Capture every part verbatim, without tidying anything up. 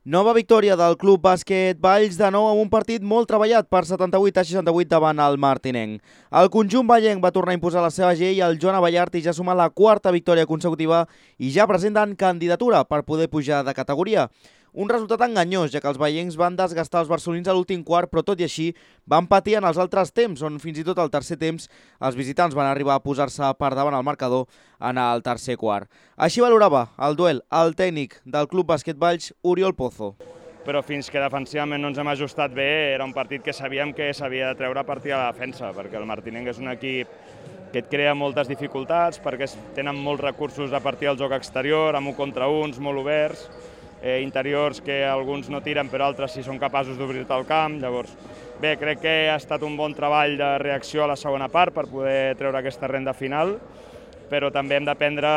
Nova victòria del Club Bàsquet Valls, de nou amb un partit molt treballat per setanta-vuit a seixanta-vuit davant el martinenc. El conjunt vallenc va tornar a imposar la seva G i el Joan Abellart i ja suma la quarta victòria consecutiva i ja presenten candidatura per poder pujar de categoria. Un resultat enganyós, ja que els vallencs van desgastar els barcelonins a l'últim quart, però tot i així van patir en els altres temps, on fins i tot al tercer temps els visitants van arribar a posar-se per davant el marcador en el tercer quart. Així valorava el duel el tècnic del Club Bàsquet Valls, Oriol Pozo. Però fins que defensivament no ens hem ajustat bé, era un partit que sabíem que s'havia de treure a partir de la defensa, perquè el martinenc és un equip que et crea moltes dificultats, perquè tenen molts recursos a partir del joc exterior, amb un contra uns, molt oberts, eh, interiors que alguns no tiren però altres sí són capaços d'obrir-te el camp. Llavors, bé, crec que ha estat un bon treball de reacció a la segona part per poder treure aquesta renda final, però també hem d'aprendre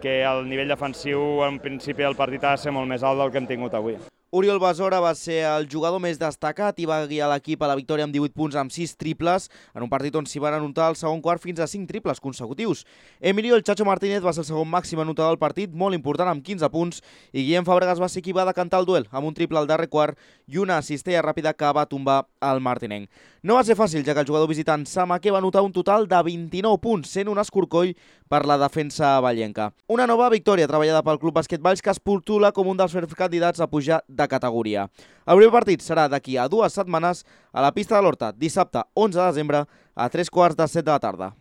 que el nivell defensiu en principi del partit ha de ser molt més alt del que hem tingut avui. Oriol Besora va ser el jugador més destacat i va guiar l'equip a la victòria amb divuit punts amb sis triples, en un partit on s'hi van anotar al segon quart fins a cinc triples consecutius. Emilio el Chacho Martínez va ser el segon màxim anotador del partit, molt important amb quinze punts, i Guillem Fàbregas va ser qui va decantar el duel, amb un triple al darrer quart i una cistella ràpida que va tombar el martinenc. No va ser fàcil, ja que el jugador visitant Samaque va anotar un total de vint-i-nou punts, sent un escorcoll per la defensa vallenca. Una nova victòria treballada pel Club Bàsquet Valls que es postula com un dels ferms candidats a pujar de categoria. El primer partit serà d'aquí a dues setmanes a la pista de l'Horta, dissabte onze de desembre a tres quarts de set de la tarda.